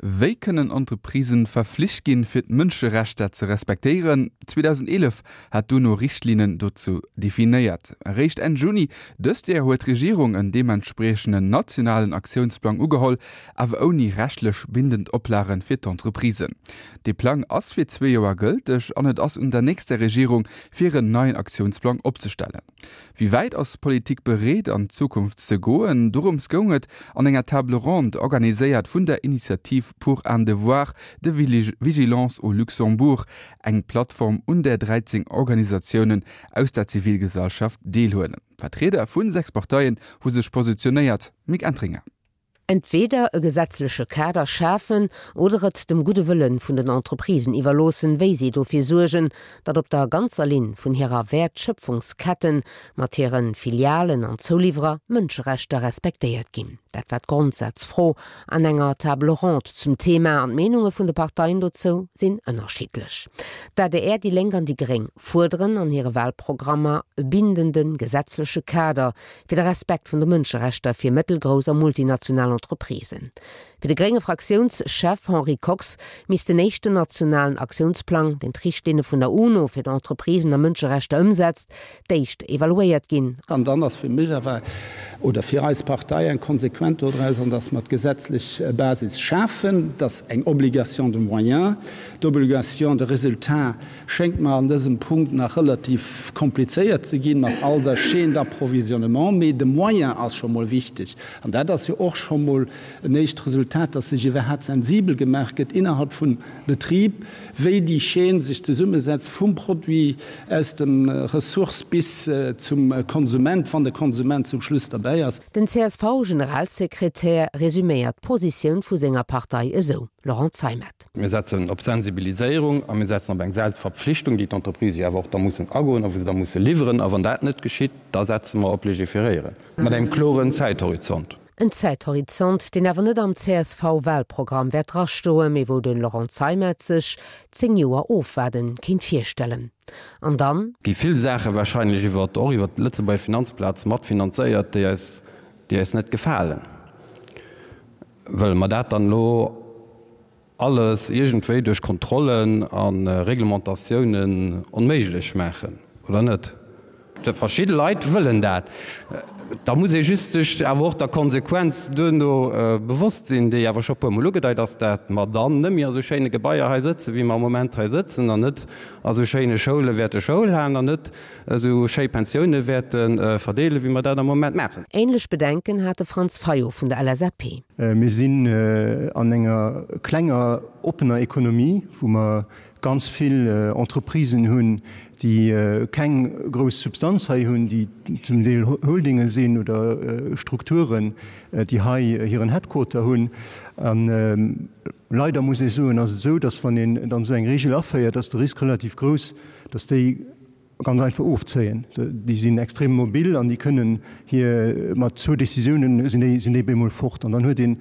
Wéi kënnen Entreprisen verflicht ginn, fir d'Mënscherechter ze respektéieren? 2011 hat d'UNO Richtlinnen dozou definéiert. Eréischt Enn Juni dëst Joer huet d'Regierung en deementspriechenden nationalen Aktiounsplang ugeholl, awer ouni rechtlech bindend Oplage fir d'Entreprisen. Dee Plang ass fir zwee Joer gëlteg an et ass un der nächster Regierung, fir en neien Aktiounsplang opzestellen. Wéi wäit ass d'Politik bereet an d'Zukunft ze goen? Dorëms goung et an enger Table ronde, organiséiert vun der Initiative pour un devoir de vigilance au Luxembourg, eng Plattform un där 13 Organisatiounen aus der Zivilgesellschaft deelhuelen. Vertrieder vu 6 Parteien hu sech positionéiert. Mick Entringer. Entweeder e gesetzleche Kader schafen oder et dem gudde Wëlle vun den Entreprisen iwwerloossen, wéi si dofir suergen, datt op der ganzer Linn vun hirer Wäertschöpfungsketten mat hire Filialen an Zouliwwerer Mënscherechter respektéiert ginn. Dat war d'Grondsazfro an enger Table ronde zum Thema an d'Meenunge vun de Parteien dozou sinn ënnerschiddlech. D'adr, déi Lénk an déi Gréng fuerderen an hire Wahlprogrammer e bindende gesetzleche Kader fir de Respekt vun de Mënscherechter fir mëttelgrouss a multinational Entreprisen. Fir de grénge Fraktiounschef Henri Kox misst den éischten nationalen Aktiounsplang, deen d'Richtlinne vun der UNO fir d'Entreprisen a Mënscherechter ëmsetzt, d'éischt evaluéiert ginn. An dann ass fir mech awer, oder fir eis Partei eng Konsequent dodraus, an dass mer d'gesetzlech Basis schafen, dass eng Obligation de moyens, d'Obligation de résultat Schéngt mer an dësem Punkt nach relativ komplizéiert ze ginn, mat all der Chaîne d'approvisionnement. Mee de Moyen ass scho mol wichteg. An dat ass jo och scho mol en éischt Resultat, dass sech iwwerhaapt sensibel gemaach gëtt innerhalb vum Betrib, wéi déi Chaîne sech zesummesetzt, vum Produit aus dem Ressource bis zum Konsument, wann de Konsument zum Schluss derbäi ass. Den CSV-Generalsekretär resuméiert d'Positioun vu senger Partei esou, Laurent Zeimet. Mir setzen op Sensibiliséierung a mir setzen op eng Selbstverpflichtung, déi d'Entreprisë jo awer och da mussen agoen a wou se da musse liwweren. A wann dat net geschitt, da setze mer op Légiféréieren, mat engem kloren Zäithorizont. En Zäithorizont, deen awer net am CSV-Wahlprogramm wäert drastoen, mee wou de Laurent Zeimet sech 10 Joer Ofwaarde kéint virstellen. An dann? Gi vill Saache wahrscheinlech iwwer, och iwwer d'Lëtzebuerger Finanzplaz matfinanzéiert, déi eis, déi eis net gefalen. Wëlle mer dat dann elo alles iergendwéi duerch Kontrollen a Reglementatiounen onméiglech maachen, oder net? Verschidde Leit wëllen dat. Da muss ee just sech awer och der Konsequenz duerno bewosst sinn, déi awer scho puermol ugedeit ass, dat mer dann net méi a sou schéine Gebaier hei sëtzen, wéi mer am Moment hei sëtzen, an net a sou schéine Schoule wäerte Schoul halen an net esou schéi Pensioune wäerte verdeelen, wéi mer dat am Moment maachen. Ähnlech Bedenken hat de Franz Fayot vun der LSAP. Mir sinn an enger klenger, oppener Ekonomie, wou mer ganz vill Entreprisen hunn, déi keng grouss Substanz hei hunn, déi zum Deel Holdinge sinn oder Strukturen, déi hei hiren Headquarter hunn. A leider muss ee soen, ass et esou, dass wann een dann esou eng Regel aféiert, ass de Risk relativ grouss, dass déi Ganz einfach ofzéien. Déi sinn extrem mobil an déi kënnen hir mat zwou Decisiounen sinn déi sinn déi bemol fort an dann huet een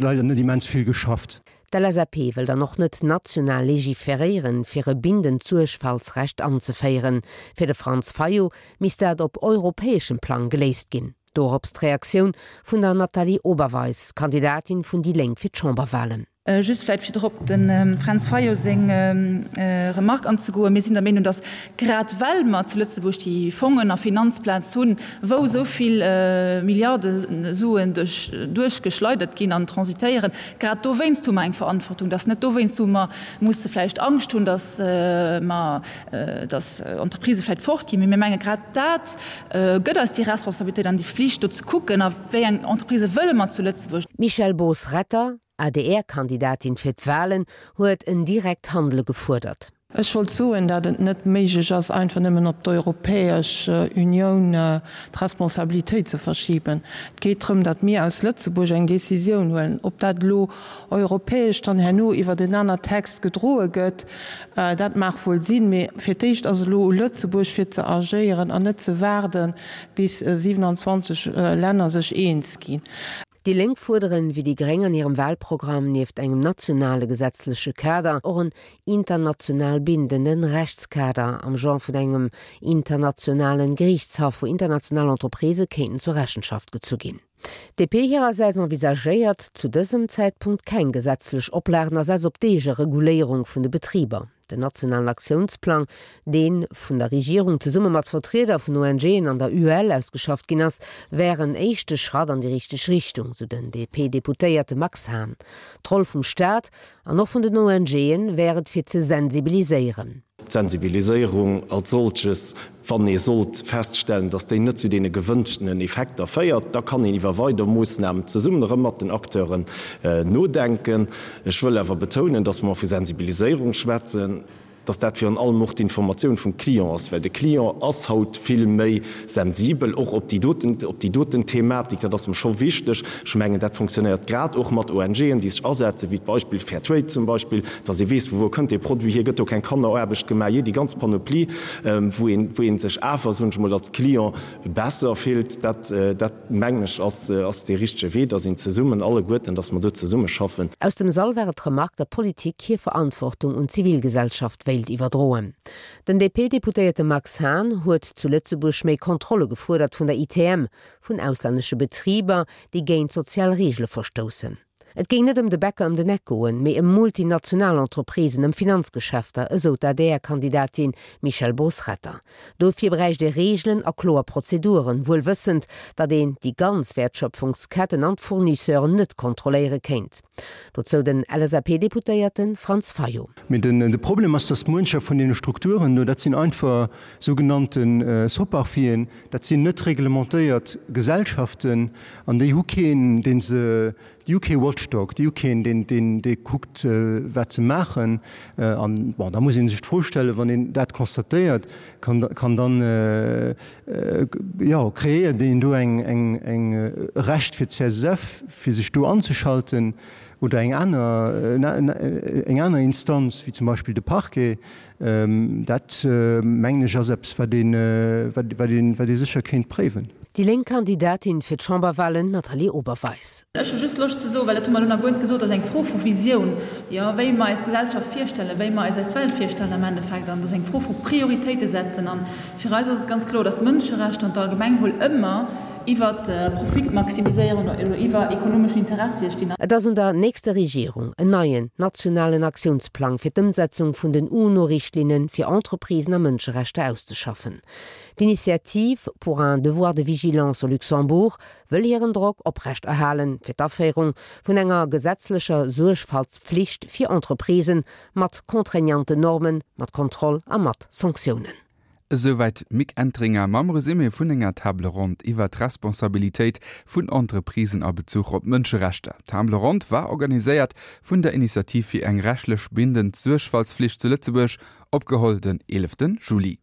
leider net immens vill geschafft. D'LSAP wëll dann och net national legiferéieren, fir e bindend Suergfaltsrecht anzeféieren. Fir de Franz Fayot misst dat op europäeschem Plang geléist ginn. Dorops d'Reaktioun vun der Nathalie Oberweis, Kandidatin vun déi Lénk fir d'Chamberwalen. Just vläicht fir drop dem Fränz Fayot seng Remark anzegoen, Mir sinn der Meenung, datt grad well mer zu Lëtzebuerg déi Fongen a Finanzplaz hunn, wou esou vill Milliarde Suen duerchgeschleidert ginn an transitéieren, grad dowéinst hu mer eng Verantwortung. Datt net dowéinst, wou mer musse vläicht Angscht hunn, datt mer, datt Entreprisë vläicht fortginn, mee mir menge grad dat gëtt eis déi Responsabilitéit an déi Flicht, do ze kucken, a wéi eng Entreprisë wëlle mer zu Lëtzebuerg. D'Michèle Boos-Retter, ADR-Kandidatin fir d'Walen, huet en direkt Handele gefuerdert. Ech wollt soen, dat et net méiglech ass, einfach nëmmen op d'Europäesch Unioun d'Responsabilitéit ze verschiben. Et geet drëm, datt mir aus Lëtzebuerg eng Décisioun huelen. Ob dat elo europäesch dann herno iwwert en aner Text gedroe gëtt, dat mag wuel sinn. Mee fir d'éischt ass elo u Lëtzebuerg fir ze agéieren an net ze waarden, bis 27 Länner sech eens ginn. Déi Lénk fuerderen, wéi déi Gréng an hirem Wahlprogramm, nieft engem nationale gesetzleche Kader och en international bindenden Rechtskader am Genre vun engem internationalen Geriichtshaff, wou international Entreprisë kéinten zur Rechenschaft gezu ginn. D'DP hirersäits envisagéiert zu dësem Zäitpunkt keng gesetzlech Oplagen a setzt op d'Eegereguléierung vun de Betriber. Den nationalen Aktiounsplang, dee vun der Regierung zesumme mat Vertrieder vun ONGen an der UEL ausgeschafft ginn ass, wär en éischte Schratt an déi richteg Richtung, sou den DP-Deputéierte Max Hahn. D'Roll vum Staat an och vun den ONGe wär et fir ze sensibiliséieren. D'Sensibiliséierung als solches, wann ee sollt feststellen, dass déi net zu deene gewënschtenen Effekter féiert, da kann een iwwer weider Moossnamen zesummen erëm mat den Acteuren nodenken. Ech wëll awer betounen, dass, wa mer vu Sensibiliséierung schwätzen, dass dat virun allem och d'Informatioun vum Client ass, well de Client ass haut vill méi sensibel och op déi doten, op déi doten Thematik. Dat ass em scho wichteg. Ech mengen, dat fonctionnéiert grad och mat ONGen, déi sech asetzen, wéi d'Beispill Fair Trade zum Beispill, dass ee weess, vu wou kënnt dee Produit hier, gëtt do keng Kanneraarbecht gemaach, jee, déi ganz Panoplie, wou een, wou ee sech awer, soen ech emol, als Client besser fillt. Dat, dat mengen ech, ass, ass dee richtege Wee, dass een zesummen, alleguerten, dass mer do zesummeschaffen. Aus dem Sall war et d'Remark, datt d'Politik hir Verantwortung un d'Zivilgesellschaft wéilt iwwerdroen. Den DP-Deputéierte Max Hahn huet zu Lëtzebuerg méi Kontrolle gefuerdert vun der ITM, vun auslännesche Betriber, déi géint sozial Reegele verstoussen. Et géing net ëm de Bäcker ëm den Eck goen, mee ëm multinational Entreprisen, ëm Finanzgeschäfter, esou d'ADR-Kandidatin Michèle Bos-Retter. Dofir bräicht ee Reegelen a kloer Prozeduren, wuel wëssend, datt een déi ganz Wäertschöpfungsketten an d'Fournisseuren net kontrolléiere kéint. Dozou den LSAP-Deputéierte Franz Fayot. Mee de Problem ass, datt muencher vun deene Strukturen do, dat sinn einfach sougenannte Soparfien, dat sinn net reglementéiert Gesellschaften an déi hu keen, dee se, déi hu kee Watchdog, déi hu keen, deen, deen, dee kuckt, wat se maachen. An, bon, da muss ee sech d'Fro stellen, wann een dat constatéiert, kann, kann dann, jo, kreéiert een do eng, eng, eng e Recht fir d'CSSF, fir sech do anzeschalten oder eng aner, eng aner Instanz, wéi zum Beispill de Parquet. Dat, mengen ech, ass eppes, wat ee sécher kéint préiwen. Déi lénk Kandidatin fir d'Chamberwahlen, Nathalie Oberweis. Ech hu just Loscht ze soen, well dat hu mer elo nach guer net gesot, dat ass eng Fro vu Visioun, jo, wéi mer eis Gesellschaft virstellen, wéi mer eis eis Welt virstellen am Endeffekt. An dat ass eng Fro vu Prioritéite setzen. A fir eis ass et ganz kloer, dass d'Mënscherechter an d'Allgemengwuel ëmmer iwwer Profitmaximiséierung oder iwwer ekonomeschen Interessie stinn. Et ass un der nächster Regierung, en neien nationalen Aktiounsplang fir d'Ëmsetzung vun den UNO-Richtlinne fir Entreprisen a Mënscherechter auszeschaffen. D'Initiative pour un devoir de vigilance au Luxembourg wëll hiren Drock oprecht erhalen, fir d'Aféierung vun enger gesetzlecher Suergfaltspflicht fir Entreprisen, mat contraignanten Normen, mat Kontroll a mat Sanktiounen. Esouwäit d'Mick Entringer mam Resumé vun enger Table ronde iwwer d'Responsabilitéit vun Entreprisen a Bezuch op d'Mënscherechter. D'Table ronde war organiséiert vun der Initiativ fir eng rechtlech bindend Suergfaltsflicht zu Lëtzebuerg, opgeholl den 11 Juli.